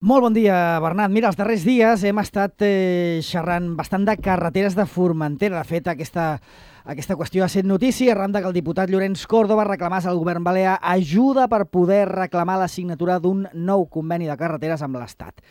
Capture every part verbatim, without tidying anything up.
Molt bon dia, Bernat. Mira, els darrers dies hem estat eh, xerrant bastant de carreteres de Formentera. De fet, aquesta, aquesta qüestió ha set notícia arran que el diputat Llorenç Córdoba reclamés al govern balear ajuda per poder reclamar la signatura d'un nou conveni de carreteres amb l'Estat.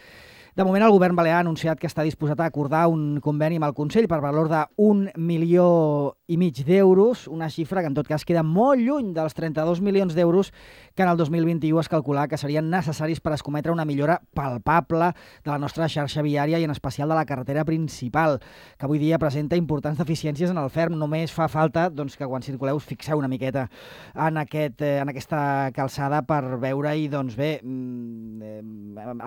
De moment, el govern balear ha anunciat que està disposat a acordar un conveni amb el Consell per valor d'un milió i mig d'euros, una xifra que en tot cas queda molt lluny dels trenta-dos milions d'euros que en el dos mil vint-i-u es calculava que serien necessaris per escometre una millora palpable de la nostra xarxa viària i en especial de la carretera principal, que avui dia presenta importants deficiències en el ferm. Només fa falta doncs, que quan circuleu us fixeu una miqueta en, aquest, eh, en aquesta calçada per veure-hi, doncs bé, eh,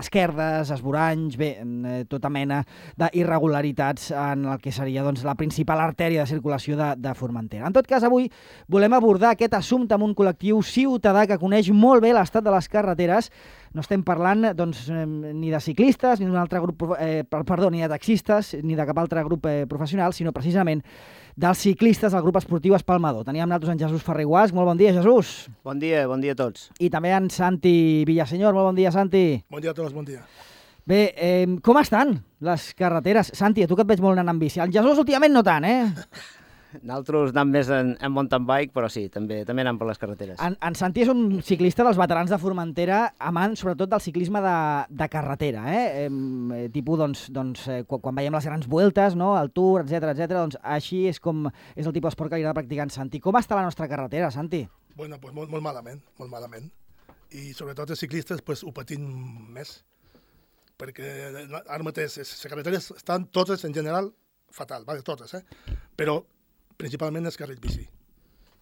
esquerdes, esvoranys, bé, eh, tota mena d'irregularitats en el que seria doncs, la principal artèria de circulació de, de Formentera. En tot cas, avui volem abordar aquest assumpte amb un col·lectiu ciutadà que coneix molt bé l'estat de les carreteres. No estem parlant doncs, eh, ni de ciclistes, ni d'un altre grup, eh, perdó, ni de taxistes, ni de cap altre grup eh, professional, sinó precisament dels ciclistes del grup esportiu Espalmador. Teníem nosaltres en Jesús Ferrer-Guasch. Molt bon dia, Jesús. Bon dia, bon dia a tots. I també en Santi Villasenyor. Molt bon dia, Santi. Bon dia a tots, bon dia. Bé, eh, com estan les carreteres? Santi, a tu que et veig molt anant amb bici. El Jesús últimament no tant, eh? Nosaltres anem més en, en mountain bike, però sí, també també anem per les carreteres. En, en Santi és un ciclista dels veterans de Formentera, amant sobretot del ciclisme de, de carretera, eh? eh tipus, doncs, doncs eh, quan, quan veiem les grans vueltes, no? El Tour, etcètera, etcètera, doncs així és com és el tipus d'esport que li agrada practicar en Santi. Com està la nostra carretera, Santi? Bueno, pues molt, molt malament, molt malament. I sobretot els ciclistes pues, ho patim més, perquè ara mateix les carreteres estan totes en general fatal, vale, totes, eh? Però principalment els carrils bici,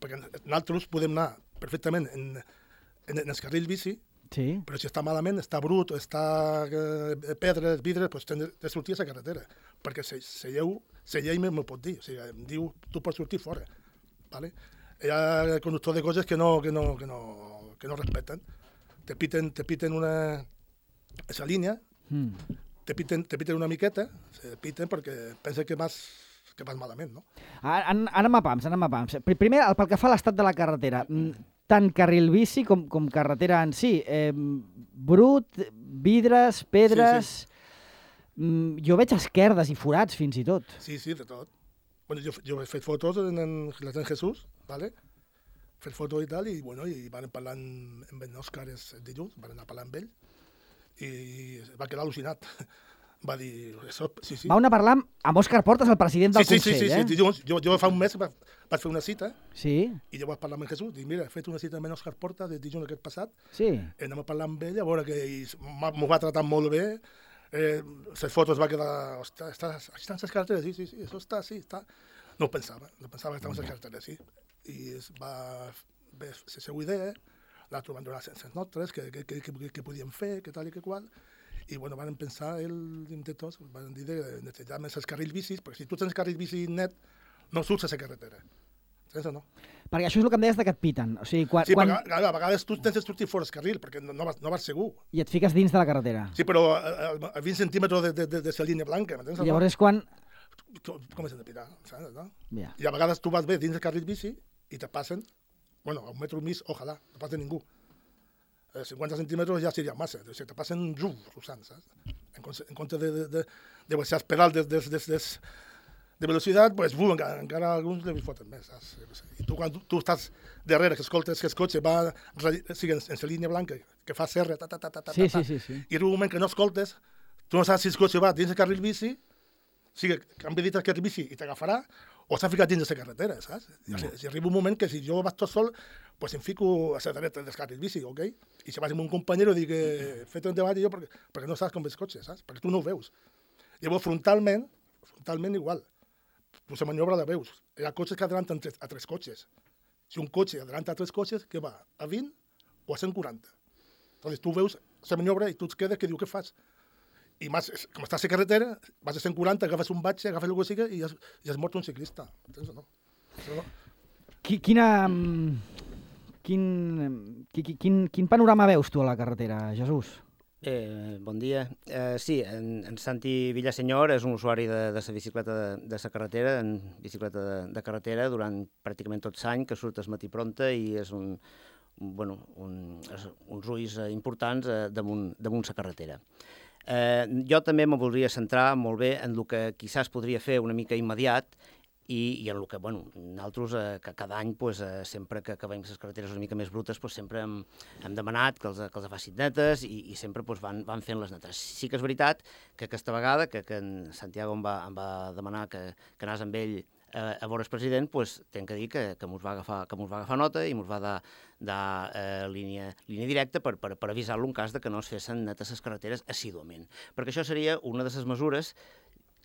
perquè nosaltres podem anar perfectament en, en, en els carrils bici, sí. Però si està malament, està brut, està eh, pedres, vidres, doncs tens de sortir a la carretera, perquè se, se lleu, se llei m'ho pot dir, o sigui, em diu, tu pots sortir fora, vale? Hi ha conductors de coses que no, que no, que no, que no respecten, te piten, te piten una, esa línia, mm. te, piten, te piten una miqueta, se piten perquè pensen que vas que vas malament, no? Anem a pams, anem a pams. Primer, pel que fa a l'estat de la carretera, tant carril bici com, com carretera en si, eh, brut, vidres, pedres... Sí, sí. Jo veig esquerdes i forats, fins i tot. Sí, sí, de tot. Bueno, jo, jo he fet fotos en, en, en Jesús, ¿vale? He fet fotos i tal, i, bueno, i van parlar amb en Òscar dilluns, van anar parlant amb ell, i va quedar al·lucinat. Va dir... Això, sí, sí. Va anar a parlar amb Òscar Portas, el president del sí, sí, Consell, sí, sí, eh? Sí, sí, jo, jo fa un mes vaig, vaig fer una cita, sí. I jo vaig parlar amb en Jesús, dic, mira, he fet una cita amb en Òscar Portas de dijous aquest passat, sí. Anem a parlar amb ell, a veure que m'ho va tratar molt bé, eh, les fotos va quedar... Ostres, està, estan les carreteres, sí, sí, sí, això està, sí, està... No ho pensava, no pensava que estaven les carreteres, sí. I es va fer la seva idea, l'altre van donar les notes, que, que, que, que, que podíem fer, que tal i que qual... I bueno, van pensar, ell de tots, van dir de netejar més els carrils bicis, perquè si tu tens carril bici net, no surts a la carretera. Tens o no? Perquè això és el que em deies de que et piten. O sigui, quan, sí, quan... perquè a, a vegades tu tens de sortir fora del carril, perquè no, no, vas, no vas segur. I et fiques dins de la carretera. Sí, però a, a, a vint centímetres de, de, de, de la línia blanca, m'entens? I llavors és quan... Comencen a pitar, saps, no? Yeah. I a vegades tu vas bé dins del carril bici i te passen, bueno, a un metro mig, ojalà, no passa ningú. cinquanta centímetres ja seria massa, o sigui, te passen rum, russant, saps? En, en compte de, de, de, de baixar els pedals de, de, de, de, de velocitat, pues, bum, encara, encara alguns li foten més, saps? I tu, quan tu, tu estàs darrere, que escoltes que el cotxe va o sigui, en, en la línia blanca, que fa serra, ta, ta, ta, ta, ta, sí, ta, sí, sí, sí. I en un moment que no escoltes, tu no saps si el cotxe va dins el carril bici, o sigui, canvia dit el carril bici i t'agafarà, o s'ha ficat dins de la carretera, saps? No. Si, si arriba un moment que si jo vaig tot sol, pues em fico a la dreta del carril bici, ok? I si vas amb un companyero dic, fet un debat jo perquè, perquè no saps com ve el cotxe, saps? Perquè tu no ho veus. Llavors, frontalment, frontalment igual. Tu la maniobra la veus. Hi ha cotxes que adelanten tres, a tres cotxes. Si un cotxe adelanta a tres cotxes, què va? A vint o a cent quaranta? Entonces tu veus la maniobra i tu et quedes que diu, què fas? I més, com estàs a la carretera, vas a cent quaranta, agafes un batxe, agafes el que sigui i has, i has mort un ciclista. Entens o no? no? Quina... Quin, quin, quin panorama veus tu a la carretera, Jesús? Eh, bon dia. Eh, sí, en, en Santi Villasenyor és un usuari de, de la bicicleta de, de la carretera, en bicicleta de, de carretera, durant pràcticament tot l'any, que surt al matí pronta i és un, bueno, un, uns ulls importants eh, damunt, damunt la carretera. Eh, jo també me voldria centrar molt bé en el que quizás podria fer una mica immediat i, i en el que, bueno, nosaltres eh, que cada any, pues, eh, sempre que, que veiem les carreteres una mica més brutes, pues, sempre hem, hem demanat que els, que els facin netes i, i sempre pues, van, van fent les netes. Sí que és veritat que aquesta vegada, que, que en Santiago em va, em va demanar que, que anés amb ell a, a veure's president, pues, tenc que dir que, que mos va agafar, que mos va agafar nota i mos va dar, dar eh, línia, línia directa per, per, per avisar-lo en cas de que no es fessin netes les carreteres assíduament. Perquè això seria una de les mesures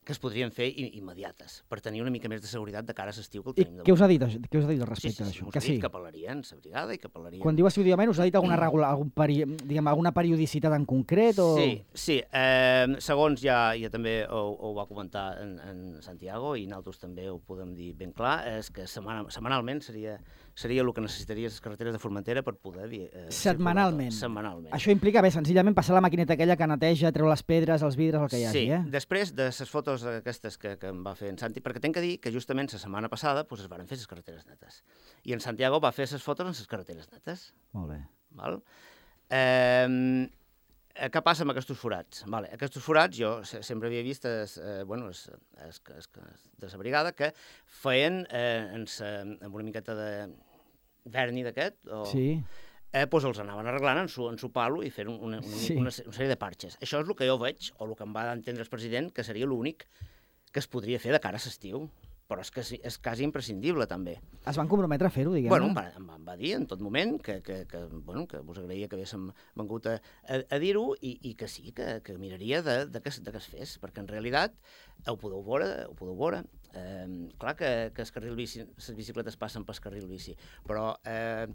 que es podrien fer immediates, per tenir una mica més de seguretat de cara a l'estiu que el tenim. I què us ha dit, què us ha dit al respecte sí, sí, d'això? Sí, sí, que apel·larien la brigada i que apel·larien... Quan diu assiduament, us ha dit alguna, regula, algun peri, diguem, alguna periodicitat en concret? O... Sí, sí. Eh, segons ja, ja també ho, ho va comentar en, en Santiago, i nosaltres també ho podem dir ben clar, és que setmana, setmanalment seria, seria el que necessitaria les carreteres de Formentera per poder... Eh, setmanalment. Setmanalment. Això implica, bé, senzillament passar la maquineta aquella que neteja, treu les pedres, els vidres, el que hi hagi, sí, eh? Sí, després de les fotos aquestes que, que em va fer en Santi, perquè tinc que dir que justament la setmana passada pues, es van fer les carreteres netes. I en Santiago va fer les fotos en les carreteres netes. Molt bé. Val? Eh, què passa amb aquests forats? Vale, aquests forats jo sempre havia vist es, eh, bueno, es, es, es, es, de la brigada que feien eh, en sa, amb una miqueta de verni d'aquest, o... Sí. Eh, doncs els anaven arreglant en su, en su palo i fent una, una, sí. una, una sèrie de parxes. Això és el que jo veig, o el que em va entendre el president, que seria l'únic que es podria fer de cara a l'estiu. Però és que és quasi imprescindible, també. Es van comprometre a fer-ho, diguem-ne? Bueno, em va, em va dir en tot moment que, que, que, bueno, que us agraïa que haguéssim vengut a, a, a dir-ho i, i que sí, que, que miraria de, de, que, de que es fes, perquè en realitat ho podeu veure, ho podeu veure. Eh, clar que, que el carril bici, les bicicletes passen pel carril bici, però... Eh,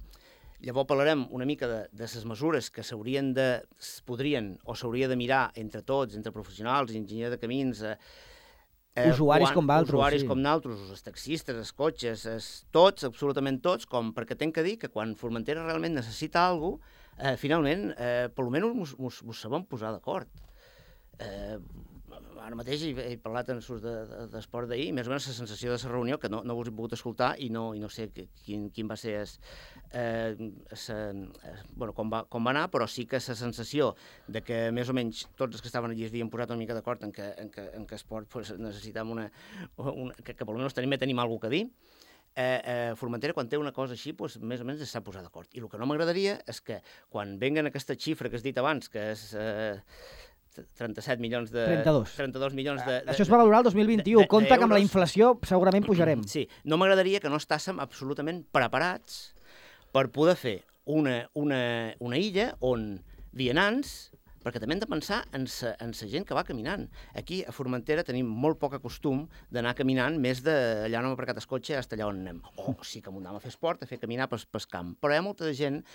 Llavors parlarem una mica de, de les mesures que s'haurien de, es podrien o s'hauria de mirar entre tots, entre professionals, enginyers de camins, eh, usuaris quan, com d'altres, usuaris sí. com d'altres, els taxistes, els cotxes, els, tots, absolutament tots, com perquè tenc que dir que quan Formentera realment necessita alguna cosa, eh, finalment, eh, per almenys mos, mos, mos sabem posar d'acord. Eh, ara mateix he, he parlat en surs d'esport de, de, d'ahir, més o menys la sensació de la reunió, que no, no us he pogut escoltar i no, i no sé quin, quin va ser es, eh, sa, eh, bueno, com, va, com va anar, però sí que la sensació de que més o menys tots els que estaven allí es havien posat una mica d'acord en que, en que, en que esport pues, necessitam una, una... que, que per almenys tenim, tenim alguna cosa a dir. Eh, eh, Formentera, quan té una cosa així, pues, més o menys s'ha posat d'acord. I el que no m'agradaria és que quan venguen aquesta xifra que has dit abans, que és... Eh, trenta-set milions de... trenta-dos. trenta-dos milions de... de Això es va valorar el dos mil vint-i-u. Compte que amb la inflació segurament pujarem. Sí, no m'agradaria que no estàssim absolutament preparats per poder fer una, una, una illa on vianants, perquè també hem de pensar en sa, en sa gent que va caminant. Aquí, a Formentera, tenim molt poc costum d'anar caminant més d'allà on hem aparcat el cotxe fins allà on anem. O sí que m'ho anem a fer esport, a fer caminar pel, pel camp. Però hi ha molta gent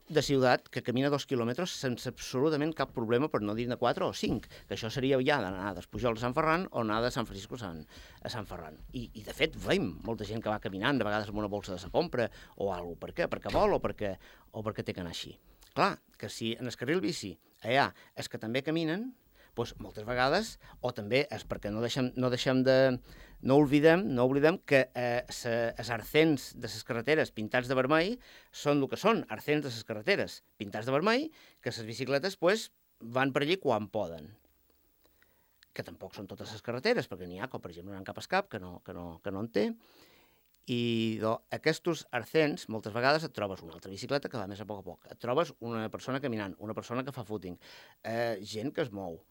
de ciutat que camina dos quilòmetres sense absolutament cap problema, per no dir de quatre o cinc, que això seria ja d'anar d'Espujol a Sant Ferran o anar de Sant Francisco a Sant, a Sant Ferran. I, I, de fet, veiem molta gent que va caminant, de vegades amb una bolsa de sa compra o alguna cosa. Per què? Perquè vol o perquè, o perquè té que anar així. Clar, que si en el carril bici allà és que també caminen, doncs moltes vegades, o també és perquè no deixem, no deixem de... No oblidem, no oblidem que eh, els arcens de les carreteres pintats de vermell són el que són, arcens de les carreteres pintats de vermell, que les bicicletes pues, van per allí quan poden. Que tampoc són totes les carreteres, perquè n'hi ha, com per exemple, no hi ha cap escap, que no, que no, que no en té. I do, aquests arcens, moltes vegades et trobes una altra bicicleta que va més a poc a poc. Et trobes una persona caminant, una persona que fa footing, eh, gent que es mou.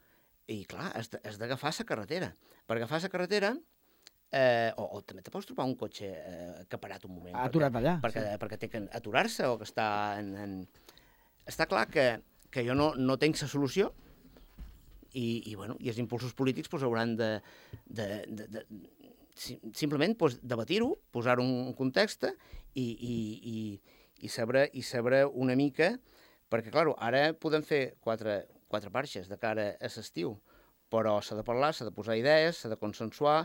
I clar, has d'agafar la carretera. Per agafar la carretera... Eh, o, o també te pots trobar un cotxe eh, que ha parat un moment. Aturat perquè, allà. Perquè, sí. perquè té que aturar-se o que està en... en... Està clar que, que jo no, no tenc la solució i, i, bueno, i els impulsos polítics pues, hauran de, de, de, de simplement pues, debatir-ho, posar-ho en context i, i, i, i, saber, i saber una mica, perquè, clar, ara podem fer quatre, quatre parxes de cara a l'estiu, però s'ha de parlar, s'ha de posar idees, s'ha de consensuar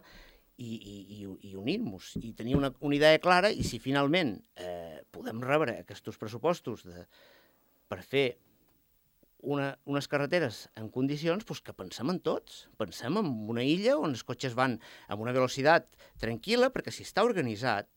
i, i, i, i unir-nos, i tenir una, una idea clara, i si finalment eh, podem rebre aquests pressupostos de, per fer una, unes carreteres en condicions, doncs que pensem en tots, pensem en una illa on els cotxes van amb una velocitat tranquil·la, perquè si està organitzat,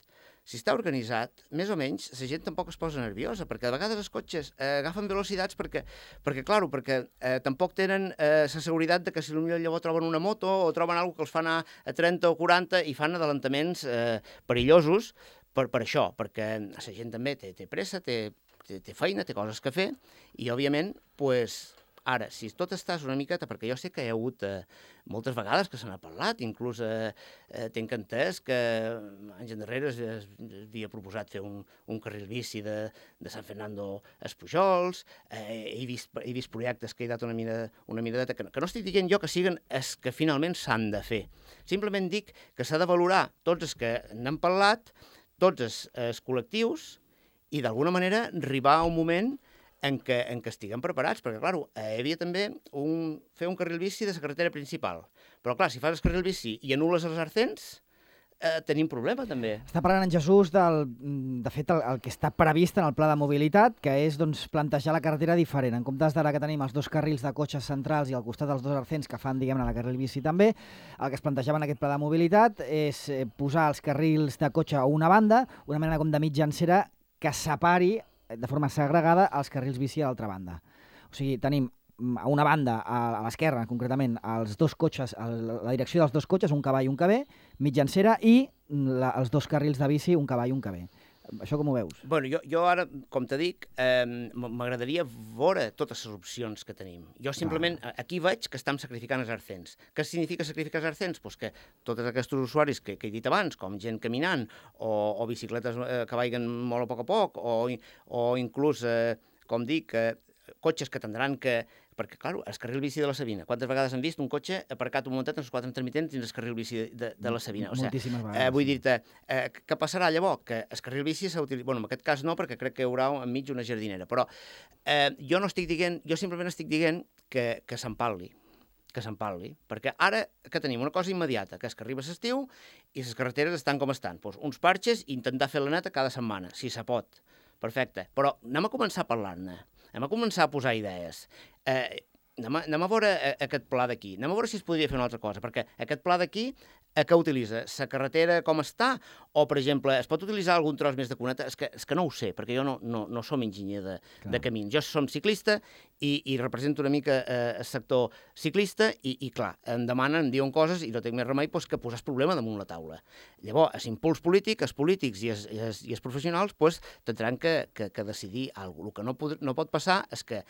si està organitzat, més o menys, la gent tampoc es posa nerviosa, perquè de vegades els cotxes eh, agafen velocitats perquè, perquè clar, perquè eh, tampoc tenen la eh, seguretat de que si potser llavors troben una moto o troben alguna que els fa anar a trenta o quaranta i fan adelantaments eh, perillosos per, per això, perquè la gent també té, té pressa, té, té, té feina, té coses que fer, i òbviament, pues, ara, si tot estàs una miqueta, perquè jo sé que hi ha hagut eh, moltes vegades que se n'ha parlat, inclús eh, eh, tenc entès que anys endarrere es, es, es havia proposat fer un, un carril bici de, de San Fernando a Espujols, eh, he, vist, he vist projectes que he dat una, mira, una miradeta, que, que no estic dient jo que siguen els que finalment s'han de fer. Simplement dic que s'ha de valorar tots els que n'han parlat, tots els, els col·lectius, i d'alguna manera arribar a un moment en què, en què estiguem preparats, perquè, clar, hi havia també un, fer un carril bici de la carretera principal. Però, clar, si fas el carril bici i anules els arcens, eh, tenim problema, també. Està parlant en Jesús del, de fet, el, el que està previst en el pla de mobilitat, que és doncs, plantejar la carretera diferent. En comptes d'ara que tenim els dos carrils de cotxes centrals i al costat dels dos arcens que fan, diguem-ne, la carril bici també, el que es plantejava en aquest pla de mobilitat és posar els carrils de cotxe a una banda, una mena com de mitjancera que separi de forma segregada els carrils bici a l'altra banda. O sigui, tenim a una banda, a l'esquerra concretament, els dos cotxes, la direcció dels dos cotxes, un que va i un que ve, mitjancera, i la, els dos carrils de bici, un que va i un que ve. Això com ho veus? Bueno, jo, jo ara, com te dic, eh, m'agradaria veure totes les opcions que tenim. Jo simplement, ah. aquí veig que estem sacrificant els arcens. Què significa sacrificar els arcens? Pues que tots aquests usuaris que, que he dit abans, com gent caminant, o, o bicicletes eh, que vagin molt a poc a poc, o, o inclús, eh, com dic, eh, cotxes que tindran que... Perquè, clar, el carril bici de la Sabina, quantes vegades han vist un cotxe aparcat un momentet en els quatre intermitents dins el carril bici de, de la Sabina? O sigui, moltíssimes vegades. Eh, vull dir-te, eh, què passarà llavors? Que el carril bici s'ha utilitzat... Bueno, en aquest cas no, perquè crec que hi haurà enmig una jardinera, però eh, jo no estic dient, jo simplement estic dient que, que se'n parli, que se'n parli, perquè ara que tenim una cosa immediata, que és que arriba l'estiu i les carreteres estan com estan, doncs uns parxes i intentar fer la neta cada setmana, si se pot. Perfecte, però anem a començar a parlar-ne. Anem a començar a posar idees. Eh, anem, a, anem a veure aquest pla d'aquí. Anem a veure si es podria fer una altra cosa, perquè aquest pla d'aquí, eh, què utilitza? La carretera com està? O, per exemple, es pot utilitzar algun tros més de cuneta? És que, és que no ho sé, perquè jo no, no, no som enginyer de, de camins. Jo som ciclista i, i represento una mica eh, el sector ciclista i, i, clar, em demanen, em diuen coses i no tinc més remei doncs, que posar el problema damunt la taula. Llavors, l'impuls polític, els polítics i els, i els, i els professionals doncs, tindran que, que, que decidir alguna cosa. El que no, pod no pot passar és que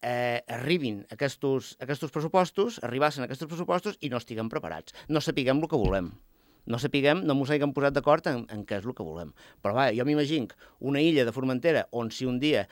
eh, arribin aquests, aquests pressupostos, arribassin aquests pressupostos i no estiguem preparats. No sapiguem el que volem. No sapiguem, no mos haguem posat d'acord en, en què és el que volem. Però va, jo m'imagino una illa de Formentera on si un dia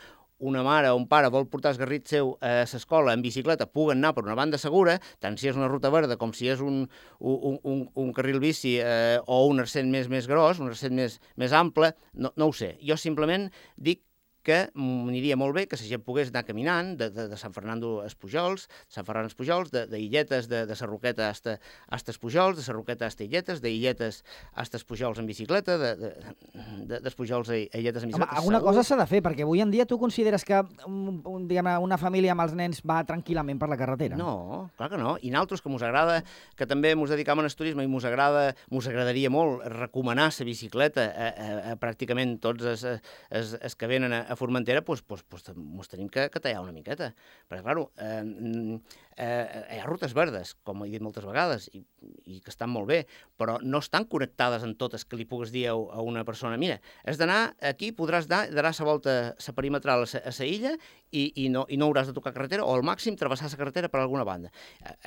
una mare o un pare vol portar el garrit seu a l'escola en bicicleta, puguen anar per una banda segura, tant si és una ruta verda com si és un, un, un, un carril bici eh, o un arcent més, més gros, un arcent més, més ample, no, no ho sé. Jo simplement dic que m'aniria molt bé que la gent pogués anar caminant de, de, de Sant Fernando a Espujols, Sant Ferran a Espujols, de, de Illetes, de, de Sarroqueta hasta, hasta Espujols, de Sarroqueta hasta Illetes, de Illetes hasta Espujols en bicicleta, d'Espujols de, de, a Illetes en bicicleta. Home, alguna cosa s'ha de fer, perquè avui en dia tu consideres que un, un, diguem, una família amb els nens va tranquil·lament per la carretera? No, clar que no. I nosaltres, que mos agrada, que també mos dedicam al turisme i mos agrada, mos agradaria molt recomanar la bicicleta a, a, a pràcticament tots els, els, els que venen a, a Formentera, doncs, doncs, doncs mos tenim que, que tallar una miqueta. Perquè, clar, eh, eh, hi ha rutes verdes, com he dit moltes vegades, i, i que estan molt bé, però no estan connectades en totes que li pugues dir a, a una persona, mira, has d'anar aquí, podràs dar, daràs la volta la perimetral a la illa i, i, no, i no hauràs de tocar carretera, o al màxim travessar la carretera per alguna banda.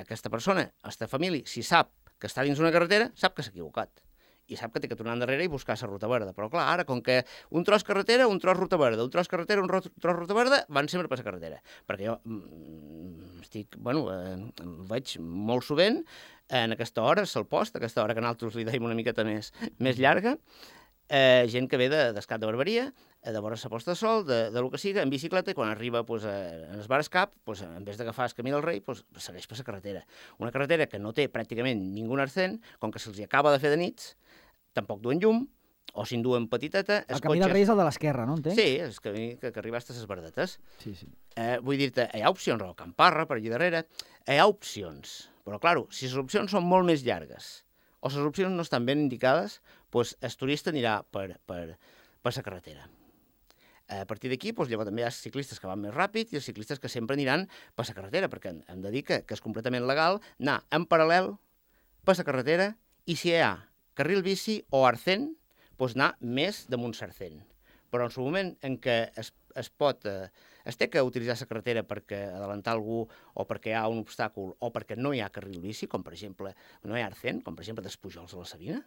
Aquesta persona, aquesta família, si sap que està dins una carretera, sap que s'ha equivocat. I sap que té que tornar endarrere i buscar la ruta verda. Però, clar, ara, com que un tros carretera, un tros ruta verda, un tros carretera, un tros ruta verda, van sempre per la carretera. Perquè jo mm, estic, bueno, eh, veig molt sovint, en aquesta hora, al post, aquesta hora que nosaltres li deim una miqueta més, més llarga, eh, gent que ve de, d'Escat de Barberia, de veure la posta de sol, de, de lo que siga, en bicicleta, i quan arriba pues, a, a les Bares Cap, pues, en vez d'agafar el camí del Rei, pues, segueix per la carretera. Una carretera que no té pràcticament ningú arcent, com que se'ls acaba de fer de nits, tampoc duen llum, o si en duen petiteta... El camí del Rei és el de l'esquerra, no entenc? Sí, és el camí que, que arriba a les Verdetes. Sí, sí. Eh, vull dir-te, hi ha opcions, o Camparra, per allà darrere, hi ha opcions. Però, clar, si les opcions són molt més llargues, o les opcions no estan ben indicades, doncs el turista anirà per, per, per la carretera. A partir d'aquí, doncs, llavors també hi ha ciclistes que van més ràpid i els ciclistes que sempre aniran per la carretera, perquè hem de dir que, que és completament legal anar en paral·lel per la carretera i si hi ha carril bici o arcent, doncs anar més damunt l'arcent. Però en el moment en què es, es pot, eh, es té que utilitzar la carretera perquè adelantar algú o perquè hi ha un obstàcul o perquè no hi ha carril bici, com per exemple, no hi ha arcent, com per exemple des Pujols a la Sabina,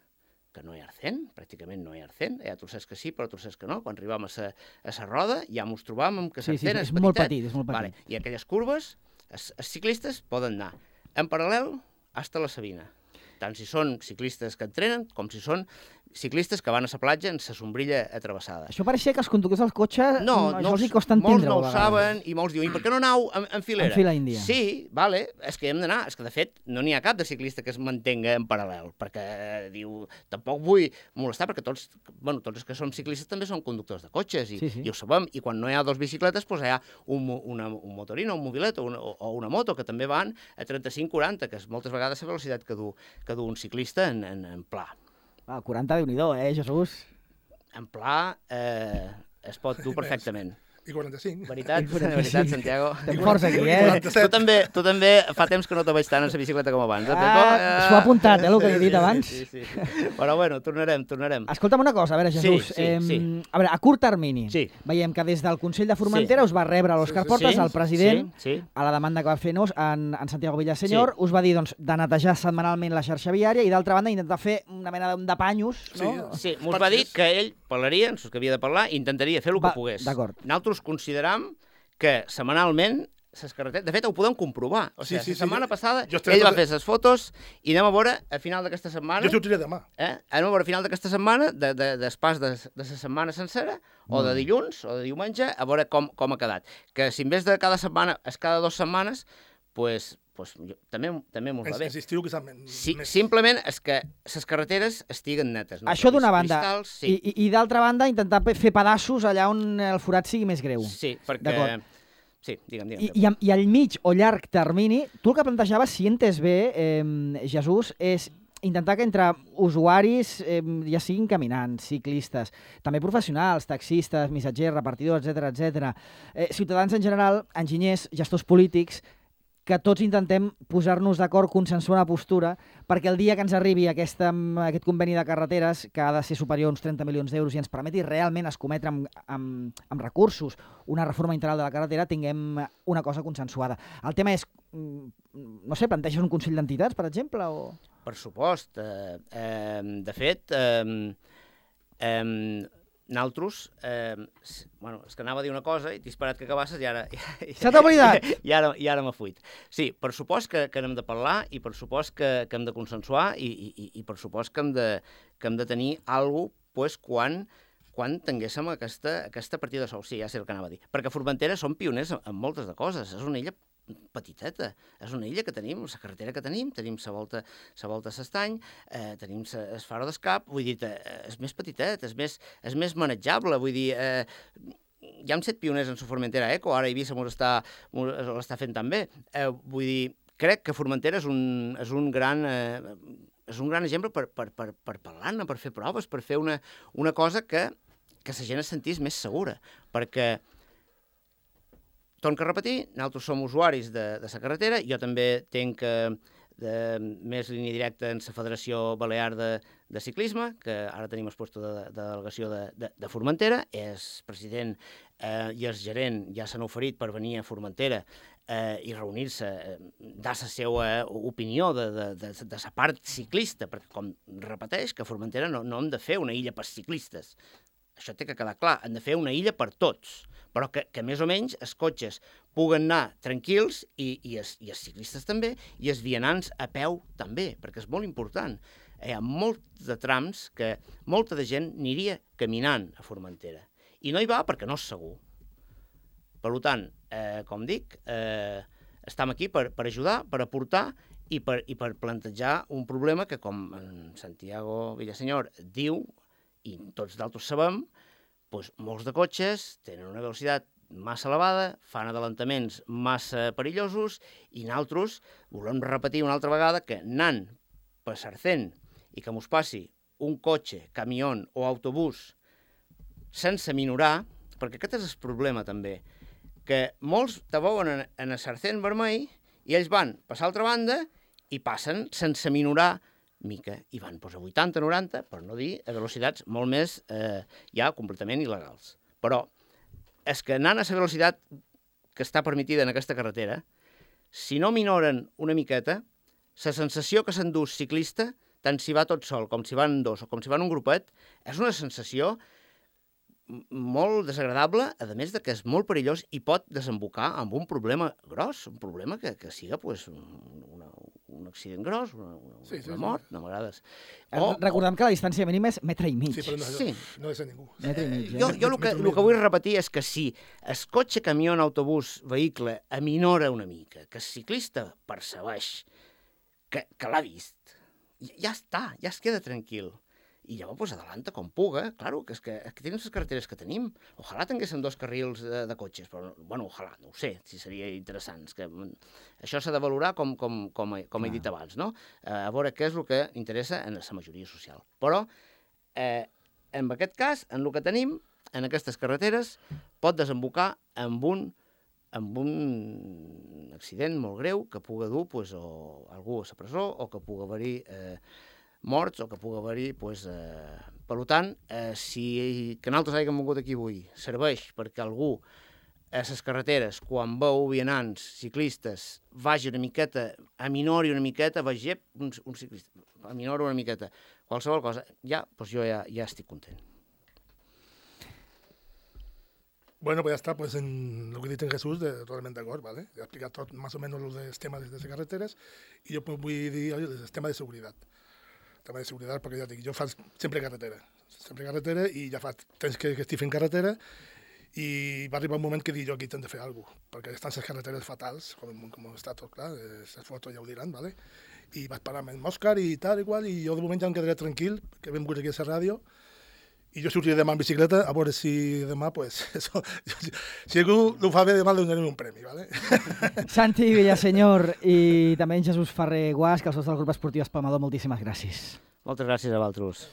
que no hi ha arcent, pràcticament no hi ha arcent, hi ha trossers que sí, però trossers que no. Quan arribàvem a la roda ja ens trobàvem que sí, sí, l'arcent és, és petitet. molt petit, és molt petit. Vale. I aquelles curves, els, els ciclistes poden anar en paral·lel fins a la Sabina, tant si són ciclistes que entrenen com si són ciclistes que van a la platja en la sombrilla atrevessada. Això pareixia que els conductors del cotxe no, això no, els hi costa molts entendre. no ho saben i molts diuen, i per què no anau en, en filera? En fila índia. Sí, vale, és que hi hem d'anar. És que, de fet, no n'hi ha cap de ciclista que es mantenga en paral·lel, perquè eh, diu, tampoc vull molestar, perquè tots, bueno, tots els que som ciclistes també són conductors de cotxes, i, sí, sí. i ho sabem, i quan no hi ha dos bicicletes, doncs hi ha un, una, un motorino, un mobilet o una, o una moto, que també van a trenta-cinc quaranta, que és moltes vegades la velocitat que du, que du un ciclista en, en, en pla. Ah, quaranta, Déu-n'hi-do, eh, Jesús? En pla eh, es pot dur perfectament. I quaranta-cinc. Veritat, veritat, Santiago. Estem forts aquí, eh? Tu també, tu també fa temps que no te veig tant en la bicicleta com abans. Eh, ah, s'ho ha apuntat, eh, el que he dit abans. Sí, sí, sí. Però bueno, tornarem, tornarem. Escolta'm una cosa, a veure, Jesús. Sí, sí, eh, sí. A veure, a curt termini, sí. veiem que des del Consell de Formentera sí. us va rebre l'Òscar sí, sí, Portas, sí, el president, sí, sí. a la demanda que va fer-nos en, en Santiago Villasenyor, sí. us va dir doncs, de netejar setmanalment la xarxa viària i, d'altra banda, intentar fer una mena de panyos, no? Sí, sí. Mos va dir que ell parlaria, en que havia de parlar, i intentaria fer el que pogués. D'acord. Nosaltres consideram que setmanalment les carreteres... De fet, ho podem comprovar. O sigui, sí, sí, la setmana sí, passada ell va fer les fotos i anem a veure a final d'aquesta setmana... Jo t'ho diré demà. Eh? Anem a veure a final d'aquesta setmana, de, de, després de, de la setmana sencera, o de dilluns, o de diumenge, a veure com, com ha quedat. Que si en vez de cada setmana és cada dues setmanes, pues, pues, jo, també, també m'ho va bé. Estiu que sí, més... Simplement és que les carreteres estiguen netes. No? Això d'una banda. Cristals, sí. I, i, i d'altra banda, intentar fer pedaços allà on el forat sigui més greu. Sí, perquè... Sí, digue'm, digue'm. I, i, a, I al mig o llarg termini, tu el que plantejaves, si entes bé, eh, Jesús, és intentar que entre usuaris, eh, ja siguin caminants, ciclistes, també professionals, taxistes, missatgers, repartidors, etcètera, etcètera, eh, ciutadans en general, enginyers, gestors polítics, que tots intentem posar-nos d'acord, consensuar una postura, perquè el dia que ens arribi aquesta, aquest conveni de carreteres, que ha de ser superior a uns trenta milions d'euros i ens permeti realment escometre amb, amb, amb recursos una reforma integral de la carretera, tinguem una cosa consensuada. El tema és, no sé, planteges un Consell d'Entitats, per exemple? O... Per supost. Eh, eh, de fet, eh, eh, nosaltres, eh, bueno, és que anava a dir una cosa i t'he esperat que acabasses i ara... Se t'ha oblidat! I, i ara, i ara m'ha fuit. Sí, per supost que, que n'hem de parlar i per supost que, que hem de consensuar i, i, i per supost que hem de, que hem de tenir alguna cosa pues, quan, quan tinguéssim aquesta, aquesta partida de sou. Sí, ja sé el que anava a dir. Perquè Formentera som pioners en moltes de coses. És una illa petiteta. És una illa que tenim, la carretera que tenim, tenim la volta, la volta a l'estany, eh, tenim el faro d'escap, vull dir, eh, és més petitet, és més, és més manejable, vull dir, eh, ja hem set pioners en la Formentera Eco, ara Eivissa l'està fent també. Eh, vull dir, crec que Formentera és un, és un gran... Eh, és un gran exemple per, per, per, per parlar-ne, per fer proves, per fer una, una cosa que, que la gent es sentís més segura, perquè torno a repetir, nosaltres som usuaris de, de la carretera, jo també tenc eh, de, més línia directa en la Federació Balear de, de Ciclisme, que ara tenim el lloc de, de delegació de, de, de Formentera, és president eh, i el gerent ja s'han oferit per venir a Formentera eh, i reunir-se, eh, dar la seva opinió de, de, de, de la part ciclista, perquè com repeteix que a Formentera no, no hem de fer una illa per ciclistes. Això té que quedar clar, hem de fer una illa per tots, però que, que més o menys els cotxes puguen anar tranquils i, i, els, i els ciclistes també, i els vianants a peu també, perquè és molt important. Hi ha molts de trams que molta de gent aniria caminant a Formentera, i no hi va perquè no és segur. Per tant, eh, com dic, eh, estem aquí per, per ajudar, per aportar i per, i per plantejar un problema que, com en Santiago Villasenyor diu, i tots d'altres sabem, doncs molts de cotxes tenen una velocitat massa elevada, fan adelantaments massa perillosos i nosaltres volem repetir una altra vegada que anant per Sarcent i que mos passi un cotxe, camió o autobús sense minorar, perquè aquest és el problema també, que molts te veuen en, en el sarcent vermell i ells van passar a l'altra banda i passen sense minorar mica, i van pues, a vuitanta noranta, per no dir a velocitats molt més eh, ja completament il·legals. Però és que anant a la velocitat que està permitida en aquesta carretera, si no minoren una miqueta, la sensació que s'endú ciclista, tant si va tot sol com si van dos o com si van un grupet, és una sensació molt desagradable, a més de que és molt perillós i pot desembocar en un problema gros, un problema que, que siga pues, una, un accident gros, una, una, sí, sí, una mort, sí. No m'agrades. O, Recordem o... que la distància mínima és metre i mig. Sí, però no, sí. no és a ningú. Metre i mig. Eh? Jo, jo el, que, el que vull repetir és que si el cotxe, camió, autobús, vehicle aminora una mica, que el ciclista percebeix que, que l'ha vist, ja està, ja es queda tranquil. I llavors pues, adelanta com puga. Claro, que és que, és que tenim les carreteres que tenim. Ojalà tinguéssim dos carrils de, de cotxes, però, bueno, ojalà, no ho sé, si seria interessant. Que, això s'ha de valorar com, com, com, com he dit abans, no? A veure què és el que interessa en la majoria social. Però, eh, en aquest cas, en el que tenim, en aquestes carreteres, pot desembocar en un, en un accident molt greu que pugui dur pues, o algú a la presó o que pugui haver-hi eh, morts o que pugui haver-hi... Pues, eh... Per tant, eh, si que nosaltres hàgim vingut aquí avui serveix perquè algú a les carreteres, quan veu vianants, ciclistes, vagi una miqueta, aminori una miqueta, vagi un, un ciclista, aminori una miqueta, qualsevol cosa, ja, pues jo ja, ja estic content. Bueno, pues ya está, pues en lo que dice Jesús, de, totalmente de acuerdo, ¿vale? Ya he explicado todo, más o menos los de, temas de las carreteres y yo pues voy a decir el tema de seguridad. El tema de seguridad, perquè ja dic, jo faig sempre carretera, sempre carretera i ja fa temps que, que estic fent carretera i va arribar un moment que dic jo aquí hem de fer alguna cosa, perquè estan les carreteres fatals, com, com està tot clar, les fotos ja ho diran, ¿vale? I vaig parar amb Òscar i tal i qual, i jo de moment ja em quedaré tranquil, que hem vingut aquí a la ràdio, i jo sortiré demà en bicicleta, a veure si demà, pues, eso, si algú ho fa bé, demà li donarem un premi, ¿vale? Santi Villasenyor i també en Jesús Ferrer Guas, que els dos del grup esportiu Espalmador, moltíssimes gràcies. Moltes gràcies a vosaltres.